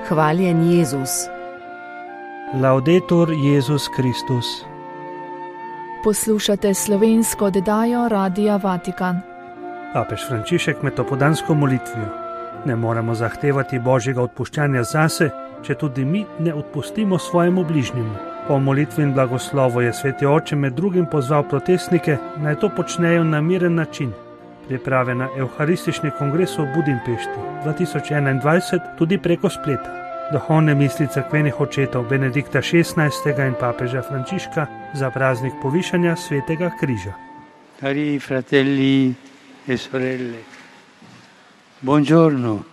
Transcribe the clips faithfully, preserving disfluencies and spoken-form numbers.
Hvaljen Jezus. Laudetur Jezus Kristus. Poslušate slovensko oddajo Radia Vatikan. Papež Frančišek med opoldansko molitvijo: ne moremo zahtevati Božjega odpuščanja zase, če tudi mi ne odpustimo svojemu bližnjemu. Po molitvi in blagoslovu je sveti oče med drugim pozval protestnike, naj to počnejo na miren način. Priprave na Evharistični kongres v Budimpešti dva tisoč enaindvajset tudi preko spleta. Duhovne misli cerkvenih očetov Benedikta šestnajstega in papeža Frančiška za praznik povišanja svetega križa. Cari fratelli e sorelle, buongiorno.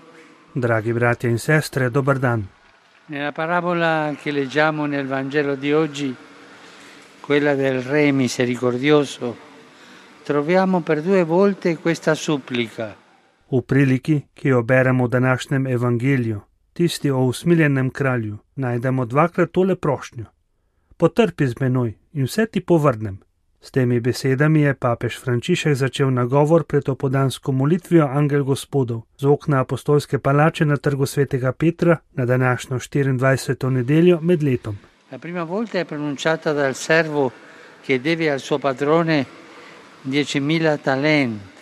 Dragi bratje in sestre, dober dan. Nella parabola che leggiamo nel Vangelo di oggi, quella del Re misericordioso, troviamo per due volte questa supplica. V priliki, ki jo beremo v današnjem evangeliju, tisti o usmiljenem kralju, najdemo dvakrat tole prošnjo: potrpi z menoj in vse ti povrnem. S temi besedami je papež Frančišek začel nagovor pred opoldansko molitvijo Angel Gospodov z okna apostolske palače na trgu svetega Petra na današnjo štiriindvajseto nedeljo med letom. La prima volta è pronunciata dal servo che deve al suo padrone diecimila talenti.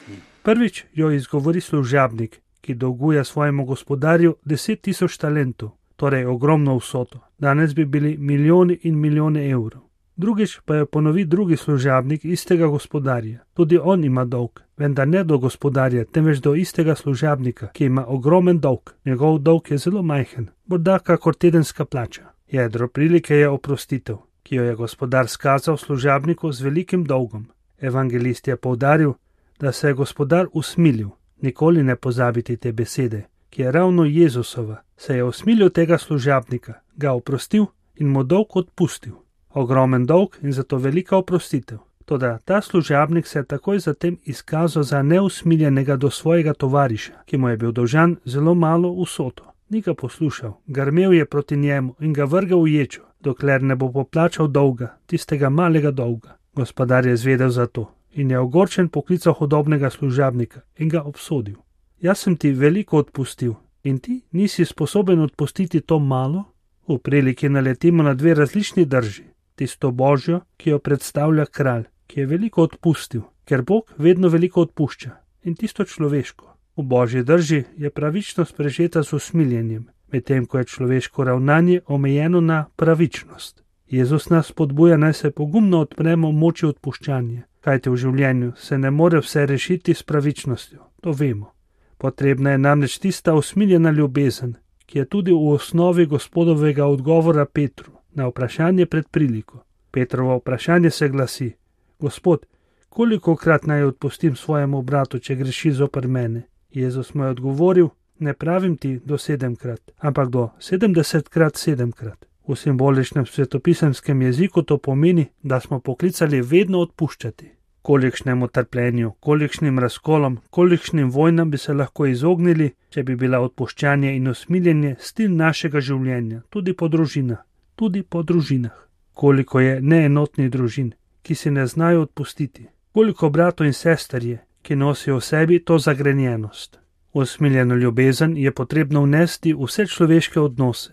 Prvič jo izgovori služabnik, ki dolguje svojemu gospodarju deset tisoč talentov, torej ogromno vsoto. Danes bi bili milijoni in milijone evrov. Drugič pa jo ponovi drugi služabnik istega gospodarja. Tudi on ima dolg, vendar ne do gospodarja, temveč do istega služabnika, ki ima ogromen dolg. Njegov dolg je zelo majhen, morda kakor tedenska plača. Jedro prilike je oprostitev, ki jo je gospodar skazal služabniku z velikim dolgom. Evangelist je poudaril, da se je gospodar usmilil. Nikoli ne pozabiti te besede, ki je ravno Jezusova. Se je usmilil tega služabnika, ga oprostil in mu dolg odpustil. Ogromen dolg in zato velika oprostitev. Toda ta služabnik se je takoj zatem izkazal za neusmiljenega do svojega tovariša, ki mu je bil dolžan zelo malo vsoto. Ni ga poslušal, grmel je proti njemu in ga vrgel v ječo, dokler ne bo poplačal dolga, tistega malega dolga. Gospodar je zvedel za to in je ogorčen poklical hudobnega služabnika in ga obsodil. Jaz sem ti veliko odpustil in ti nisi sposoben odpustiti to malo? V priliki naletimo na dve različni drži. Tisto Božjo, ki jo predstavlja kralj, ki je veliko odpustil, ker Bog vedno veliko odpušča, in tisto človeško. V Božji drži je pravičnost prežeta z usmiljenjem, medtem ko je človeško ravnanje omejeno na pravičnost. Jezus nas spodbuja, naj se pogumno odpremo moči odpuščanja, kajte v življenju se ne more vse rešiti s pravičnostjo, to vemo. Potrebna je namreč tista usmiljena ljubezen, ki je tudi v osnovi Gospodovega odgovora Petru na vprašanje pred priliko. Petrovo vprašanje se glasi: Gospod, kolikokrat naj odpustim svojemu bratu, če greši zoper mene? Jezus mu je odgovoril: ne pravim ti do sedemkrat, ampak do sedemdesetkrat sedemkrat. V simboličnem svetopisemskem jeziku to pomeni, da smo poklicali vedno odpuščati. Kolikšnemu trpljenju, kolikšnim razkolom, kolikšnim vojnam bi se lahko izognili, če bi bila odpuščanje in usmiljenje stil našega življenja, tudi po družinah. Tudi po družinah. Koliko je neenotnih družin, ki si ne znajo odpustiti. Koliko bratov in sester je, ki nosijo v sebi to zagrenjenost. Usmiljeno ljubezen je potrebno vnesti v vse človeške odnose,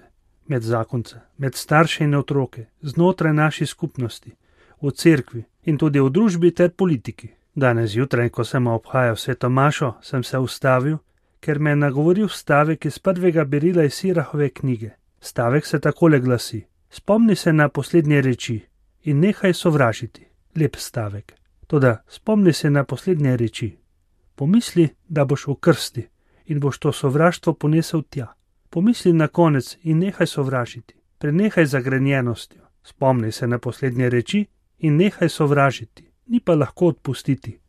med zakonce, med starše in otroke, znotraj naših skupnosti, v cerkvi in tudi v družbi ter politiki. Danes zjutraj, ko sem obhajal sveto mašo, sem se ustavil, ker me je nagovoril stavek iz prvega berila iz Sirahove knjige. Stavek se takole glasi: spomni se na poslednje reči in nehaj sovražiti. Lep stavek. Toda spomni se na poslednje reči. Pomisli, da boš v krsti in boš to sovraštvo ponesel tja. Pomisli na konec in nehaj sovražiti. Prenehaj zagrenjenostjo. Spomni se na poslednje reči in nehaj sovražiti. Ni pa lahko odpustiti.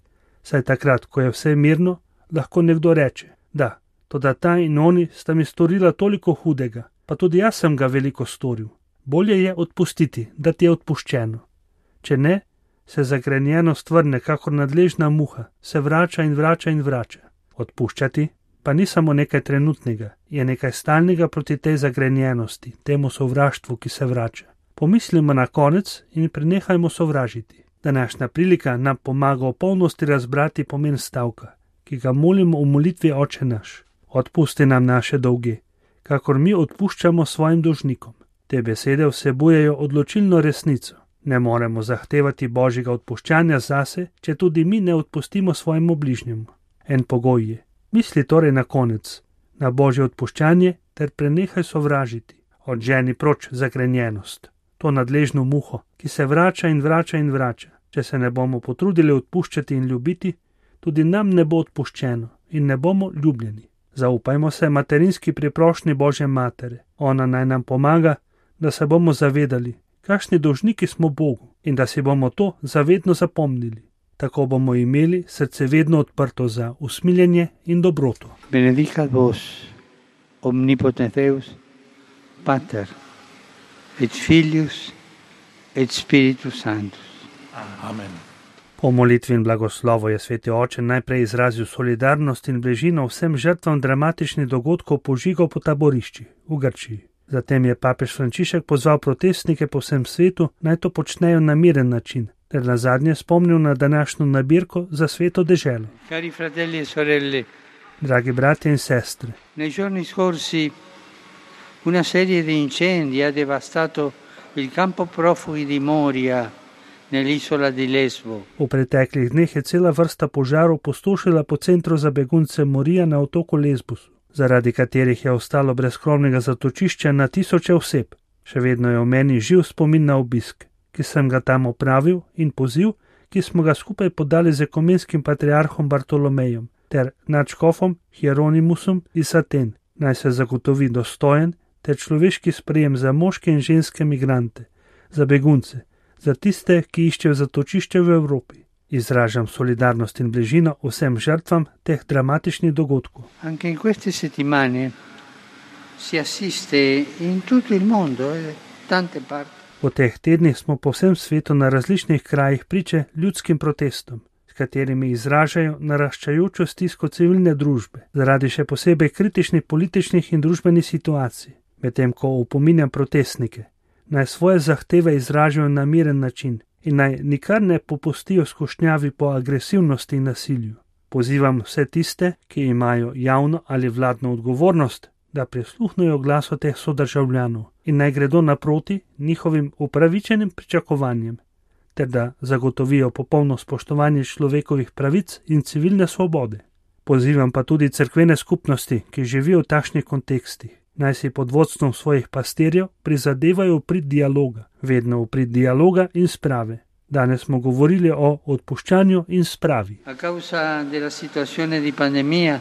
Saj takrat, ko je vse mirno, lahko nekdo reče: da, toda ta in oni sta mi storila toliko hudega, pa tudi jaz sem ga veliko storil. Bolje je odpustiti, da ti je odpuščeno. Če ne, se zagrenjenost vrne kakor nadležna muha, se vrača in vrača in vrača. Odpuščati pa ni samo nekaj trenutnega, je nekaj stalnega proti tej zagrenjenosti, temu sovraštvu, ki se vrača. Pomislimo na konec in prenehajmo sovražiti. Današnja prilika nam pomaga v polnosti razbrati pomen stavka, ki ga molimo v molitvi Oče naš. Odpusti nam naše dolge, kakor mi odpuščamo svojim dolžnikom. Te besede vsebujejo odločilno resnico. Ne moremo zahtevati Božjega odpuščanja zase, če tudi mi ne odpustimo svojemu bližnjemu. En pogoj je: misli torej na konec na Božje odpuščanje ter prenehaj sovražiti. Odženi proč zagrenjenost, to nadležno muho, ki se vrača in vrača in vrača. Če se ne bomo potrudili odpuščati in ljubiti, tudi nam ne bo odpuščeno in ne bomo ljubljeni. Zaupajmo se materinski priprošnji Božje matere. Ona naj nam pomaga, da se bomo zavedali, kakšni dolžniki smo Bogu, in da si bomo to zavedno zapomnili. Tako bomo imeli srce vedno odprto za usmiljenje in dobroto. Benedicat vos, omnipotens Deus, Pater, et Filius, et Spiritus Sanctus. Amen. Po molitvi in blagoslovu je sveti oče najprej izrazil solidarnost in bližino vsem žrtvam dramatičnih dogodkov požigov po taboriščih v Grčiji. Zatem je papež Frančišek pozval protestnike po vsem svetu, naj to počnejo na miren način, ter nazadnje spomnil na današnjo nabirko za sveto deželo. Cari fratelli e sorelle, Dragi bratje in sestre, nei giorni scorsi una serie di incendi ha devastato il campo profughi di Moria nell'isola di Lesbo. v preteklih dneh je cela vrsta požarov postošila po centru za begunce Morija na otoku Lesbosu, zaradi katerih je ostalo brezkromnega zatočišča na tisoče oseb. Še vedno je v meni živ spomin na obisk, ki sem ga tam opravil, in poziv, ki smo ga skupaj podali z ekumenskim patriarhom Bartolomejem ter nadškofom Hieronymusom iz Aten, naj se zagotovi dostojen ter človeški sprejem za moške in ženske migrante, za begunce, za tiste, ki iščejo zatočišče v Evropi. Izražam solidarnost in bližino vsem žrtvam teh dramatičnih dogodkov. Anche in queste settimane si assiste in tutto il mondo, eh, tante parti, V teh tednih smo po vsem svetu na različnih krajih priče ljudskim protestom, s katerimi izražajo naraščajočo stisko civilne družbe, zaradi še posebej kritičnih političnih in družbenih situacij, medtem ko opominjam protestnike, naj svoje zahteve izražajo na miren način in naj nikar ne popustijo skušnjavi po agresivnosti in nasilju. Pozivam vse tiste, ki imajo javno ali vladno odgovornost, da prisluhnejo glasu teh sodržavljanov in naj gredo naproti njihovim upravičenim pričakovanjem, ter da zagotovijo popolno spoštovanje človekovih pravic in civilne svobode. Pozivam pa tudi cerkvene skupnosti, ki živijo v takšnih kontekstih, naj si pod vodstvom svojih pastirjev prizadevajo v prid dialoga, vedno v prid dialoga in sprave. Danes smo govorili o odpuščanju in spravi. a causa della situazione di pandemia,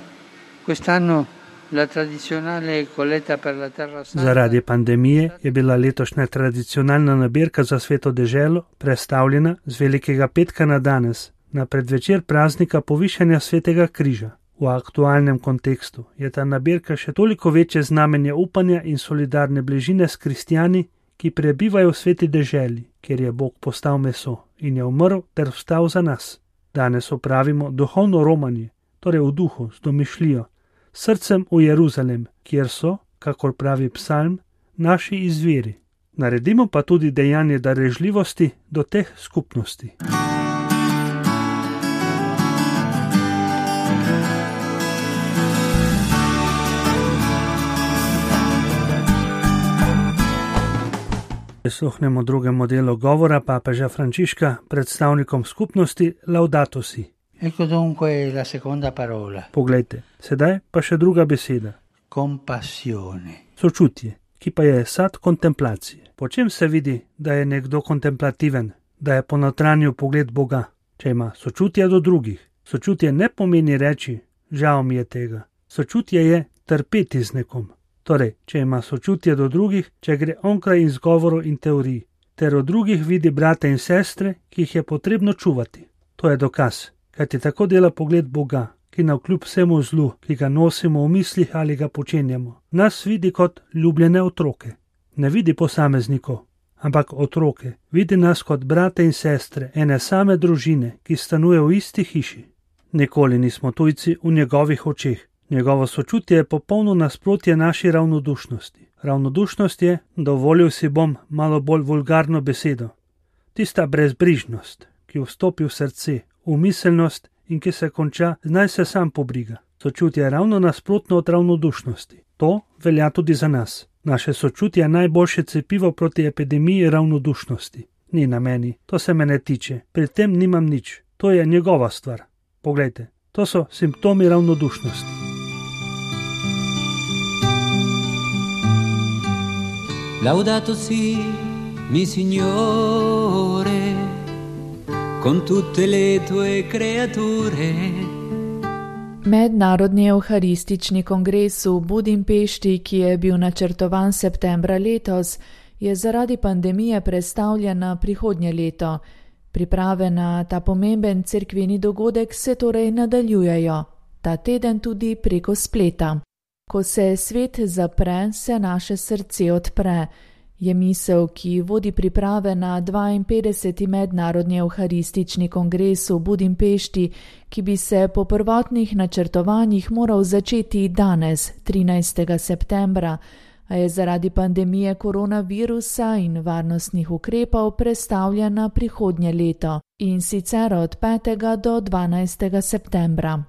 quest'anno la tradizionale colletta per la terra santa Zaradi pandemije je bila letošnja tradicionalna nabirka za sveto deželo prestavljena z Velikega petka na danes, na predvečer praznika povišanja svetega križa. V aktualnem kontekstu je ta nabirka še toliko večje znamenje upanja in solidarne bližine s kristjani, ki prebivajo v sveti deželi, kjer je Bog postal meso in je umrl ter vstal za nas. Danes opravimo duhovno romanje, torej v duhu, z domišljijo, srcem v Jeruzalem, kjer so, kakor pravi psalm, naši izviri. Naredimo pa tudi dejanje darežljivosti do teh skupnosti. Prisluhnemo drugemu delu govora papeža Frančiška predstavnikom skupnosti Laudato Si. Ecco dunque la seconda parola, Poglejte, sedaj pa še druga beseda. compassione. Sočutje, ki pa je sad kontemplacije. Po čem se vidi, da je nekdo kontemplativen, da je ponotranjil pogled Boga, če ima sočutje do drugih? Sočutje ne pomeni reči, žal mi je tega. Sočutje je trpeti z nekom. Torej, če ima sočutje do drugih, če gre onkraj izgovorov in teorij, ter od drugih vidi brate in sestre, ki jih je potrebno čuvati. To je dokaz, kajti tako dela pogled Boga, ki navkljub vsemu zlu, ki ga nosimo v mislih ali ga počenjamo, nas vidi kot ljubljene otroke. Ne vidi posameznikov, ampak otroke. Vidi nas kot brate in sestre ene same družine, ki stanuje v isti hiši. Nikoli nismo tujci v njegovih očeh. Njegovo sočutje je popolno nasprotje naši ravnodušnosti. Ravnodušnost je, dovolil si bom malo bolj vulgarno besedo, tista brezbrižnost, ki vstopi v srce, v miselnost in ki se konča, naj se sam pobriga. Sočutje je ravno nasprotno od ravnodušnosti. To velja tudi za nas. Naše sočutje je najboljše cepivo proti epidemiji ravnodušnosti. Ni na meni, to se me ne tiče, pri tem nimam nič, to je njegova stvar. Poglejte, to so simptomi ravnodušnosti. Laudato si, mi Signore, con tutte le tue creature. Mednarodni evharistični kongres v Budimpešti, ki je bil načrtovan septembra letos, je zaradi pandemije prestavljen na prihodnje leto. Priprave na ta pomemben cerkveni dogodek se torej nadaljujejo, ta teden tudi preko spleta. Ko se svet zapre, se naše srce odpre, je misel, ki vodi priprave na dvainpetdeseti mednarodni evharistični kongres v Budimpešti, ki bi se po prvotnih načrtovanjih moral začeti danes, trinajstega septembra, a je zaradi pandemije koronavirusa in varnostnih ukrepov prestavljen na prihodnje leto, in sicer od petega do dvanajstega septembra.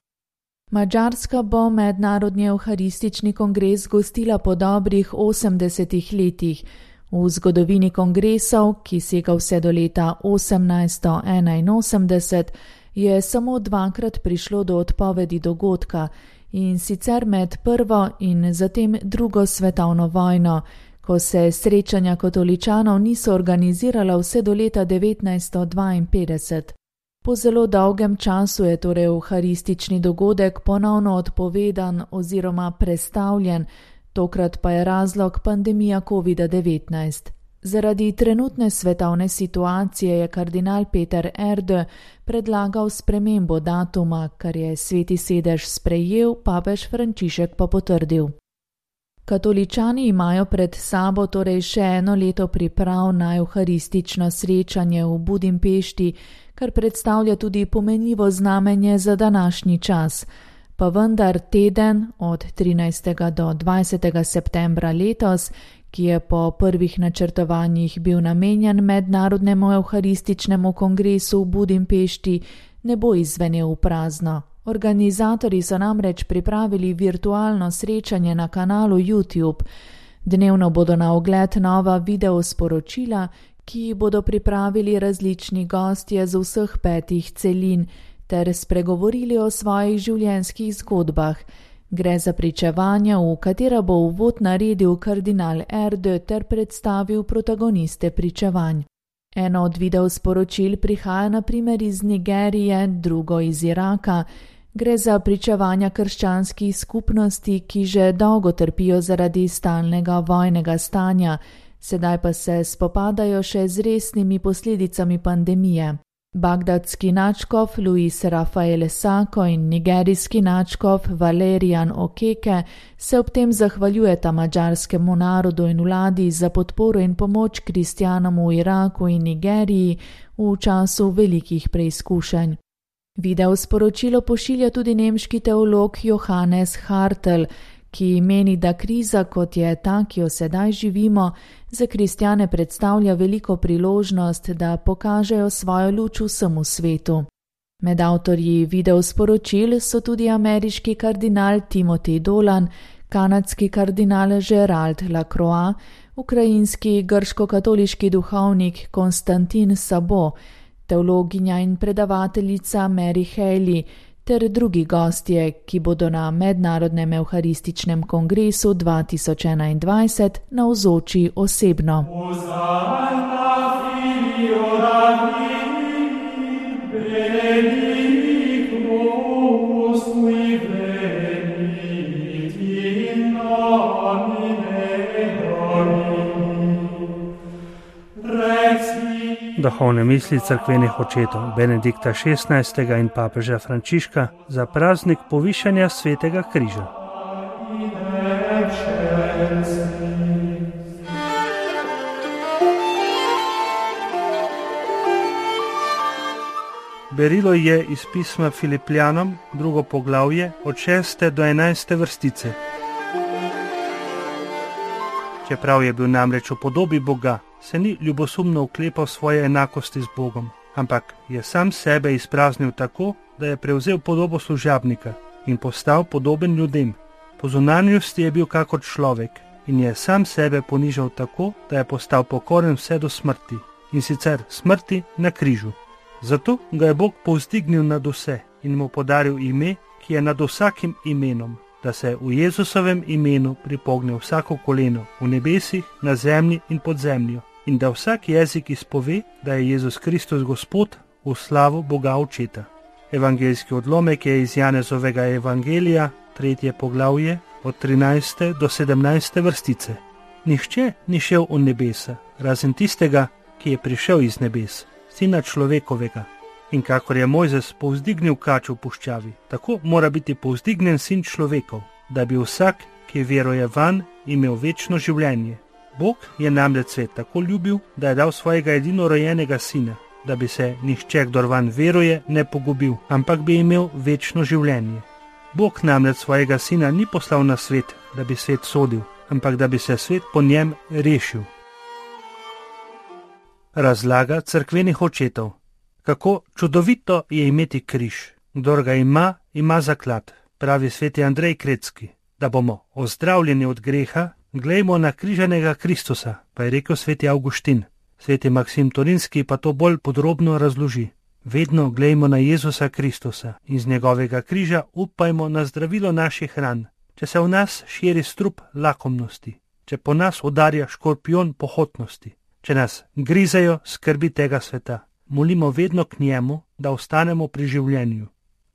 Madžarska bo mednarodni evharistični kongres gostila po dobrih osemdesetih letih. V zgodovini kongresov, ki sega vse do leta osemnajststo enainosemdeset, je samo dvakrat prišlo do odpovedi dogodka, in sicer med prvo in zatem drugo svetovno vojno, ko se srečanja katoličanov niso organizirala vse do leta devetnajststo dvainpetdeset. Po zelo dolgem času je torej evharistični dogodek ponovno odpovedan oziroma prestavljen, tokrat pa je razlog pandemija kovida devetnajst. Zaradi trenutne svetovne situacije je kardinal Peter Erde predlagal spremembo datuma, kar je Sveti sedež sprejel, papež Frančišek pa potrdil. Katoličani imajo pred sabo torej še eno leto priprav na evharistično srečanje v Budimpešti, kar predstavlja tudi pomenljivo znamenje za današnji čas. Pa vendar teden od trinajstega do dvajsetega septembra letos, ki je po prvih načrtovanjih bil namenjen mednarodnemu evharističnemu kongresu v Budimpešti, ne bo izvenel v prazno. Organizatorji so namreč pripravili virtualno srečanje na kanalu YouTube. Dnevno bodo na ogled nova video sporočila, ki bodo pripravili različni gostje z vseh petih celin, ter spregovorili o svojih življenjskih zgodbah. Gre za pričevanja, v katera bo uvod naredil kardinal Erde ter predstavil protagoniste pričevanj. Eno od video sporočil prihaja na primer iz Nigerije, drugo iz Iraka. Gre za pričevanja krščanskih skupnosti, ki že dolgo trpijo zaradi stalnega vojnega stanja, sedaj pa se spopadajo še z resnimi posledicami pandemije. Bagdadski nadškof Luis Rafael Sako in nigerijski nadškof Valerian Okeke se ob tem zahvaljujeta madžarskemu narodu in vladi za podporo in pomoč kristjanom v Iraku in Nigeriji v času velikih preizkušenj. Video sporočilo pošilja tudi nemški teolog Johannes Hartl, ki meni, da kriza, kot je ta, ki jo sedaj živimo, za kristjane predstavlja veliko priložnost, da pokažejo svojo luč vsemu svetu. Med avtorji videosporočil so tudi ameriški kardinal Timothy Dolan, kanadski kardinal Gerald Lacroix, ukrajinski grško-katoliški duhovnik Konstantin Sabo, teologinja in predavateljica Mary Haley, ter drugi gostje, ki bodo na mednarodnem evharističnem kongresu dva tisoč enaindvajset navzoči osebno. Duhovne misli cerkvenih očetov Benedikta šestnajstega in papeža Frančiška za praznik povišanja svetega križa. Berilo je iz pisma Filipljanom, drugo poglavje, od šeste do enajste vrstice. Čeprav je bil namreč v podobi Boga, se ni ljubosumno oklepal svoje enakosti z Bogom, ampak je sam sebe izpraznil tako, da je prevzel podobo služabnika in postal podoben ljudem. Po zunanjosti je bil kakor človek in je sam sebe ponižal tako, da je postal pokoren vse do smrti, in sicer smrti na križu. Zato ga je Bog povzdignil nad vse in mu podaril ime, ki je nad vsakim imenom, da se v Jezusovem imenu pripogne vsako koleno v nebesih, na zemlji in pod zemljo, in da vsak jezik izpove, da je Jezus Kristus Gospod, v slavo Boga Očeta. Evangeljski odlomek je iz Janezovega evangelija, tretje poglavje, od trinajste do sedemnajste vrstice. Nihče ni šel v nebesa, razen tistega, ki je prišel iz nebes, Sina človekovega. In kakor je Mojzes povzdignil kač v puščavi, tako mora biti povzdignen Sin človekov, da bi vsak, ki veruje vanj, imel večno življenje. Bog je namreč svet tako ljubil, da je dal svojega edinorojenega Sina, da bi se nihče, kdor vanj veruje, ne pogubil, ampak bi imel večno življenje. Bog namreč svojega Sina ni poslal na svet, da bi svet sodil, ampak da bi se svet po njem rešil. Razlaga cerkvenih očetov. Kako čudovito je imeti križ. Kdor ga ima, ima zaklad, pravi sveti Andrej Krecki. Da bomo ozdravljeni od greha, glejmo na križanega Kristusa, pa je rekel sveti Avguštin. Sveti Maksim Torinski pa to bolj podrobno razloži. Vedno glejmo na Jezusa Kristusa in z njegovega križa upajmo na zdravilo naših ran. Če se v nas širi strup lakomnosti, če po nas udarja škorpion pohotnosti, če nas grizejo skrbi tega sveta, molimo vedno k njemu, da ostanemo pri življenju.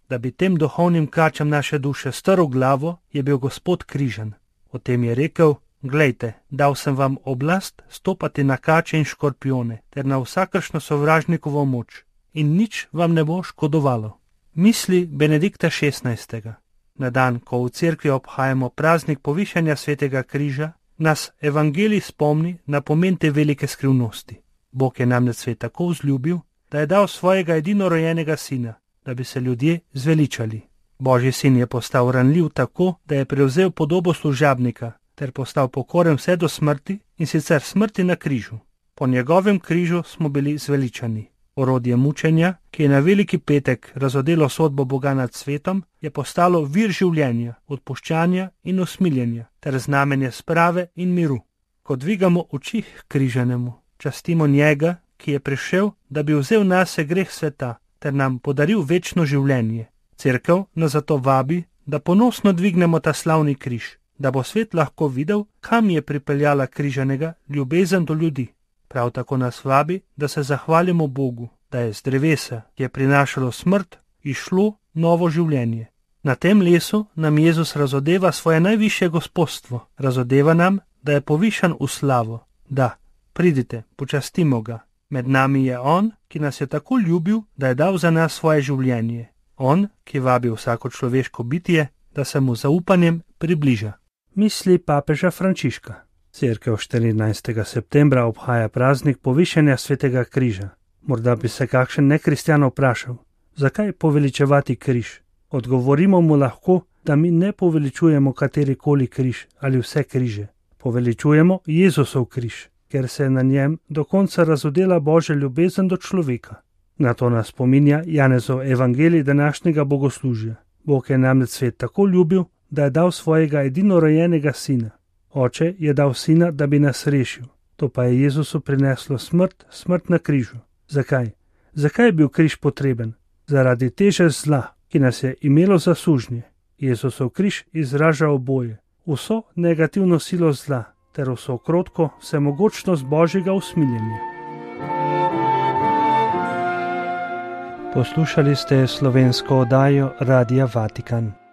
Da bi tem duhovnim kačam naše duše strl glavo, je bil Gospod križan. O tem je rekel: glejte, dal sem vam oblast stopati na kače in škorpione ter na vsakršno sovražnikovo moč in nič vam ne bo škodovalo. Misli Benedikta šestnajstega. Na dan, ko v cerkvi obhajamo praznik povišanja svetega križa, nas evangelij spomni na pomen te velike skrivnosti. Bog je namreč svet tako vzljubil, da je dal svojega edinorojenega Sina, da bi se ljudje zveličali. Božji Sin je postal ranljiv tako, da je prevzel podobo služabnika ter postal pokoren vse do smrti, in sicer smrti na križu. Po njegovem križu smo bili zveličani. Orodje mučenja, ki je na veliki petek razodelo sodbo Boga nad svetom, je postalo vir življenja, odpuščanja in usmiljenja ter znamenje sprave in miru. Ko dvigamo oči k križanemu, častimo njega, ki je prišel, da bi vzel nase greh sveta ter nam podaril večno življenje. Cerkev nas zato vabi, da ponosno dvignemo ta slavni križ, da bo svet lahko videl, kam je pripeljala križanega ljubezen do ljudi. Prav tako nas vabi, da se zahvalimo Bogu, da je z drevesa, ki je prinašalo smrt, išlo novo življenje. Na tem lesu nam Jezus razodeva svoje najvišje gospodstvo, razodeva nam, da je povišan v slavo. Da, pridite, počastimo ga. Med nami je on, ki nas je tako ljubil, da je dal za nas svoje življenje. On, ki vabi vsako človeško bitje, da se mu zaupanjem približa. Misli papeža Frančiška. Cerkev štirinajstega septembra obhaja praznik povišanja svetega križa. Morda bi se kakšen nekristjan vprašal, zakaj poveličevati križ? Odgovorimo mu lahko, da mi ne poveličujemo katerikoli križ ali vse križe. Poveličujemo Jezusov križ, ker se je na njem do konca razodela Božja ljubezen do človeka. Na to nas spominja Janezov evangelij današnjega bogoslužja. Bog je namreč svet tako ljubil, da je dal svojega edinorojenega Sina. Oče je dal Sina, da bi nas rešil. To pa je Jezusu prineslo smrt, smrt na križu. Zakaj? Zakaj je bil križ potreben? Zaradi teže zla, ki nas je imelo za sužnje. Jezusov križ izraža oboje, vso negativno silo zla ter vso krotko vsemogočnost Božjega usmiljenja. Poslušali ste slovensko oddajo Radia Vatikan.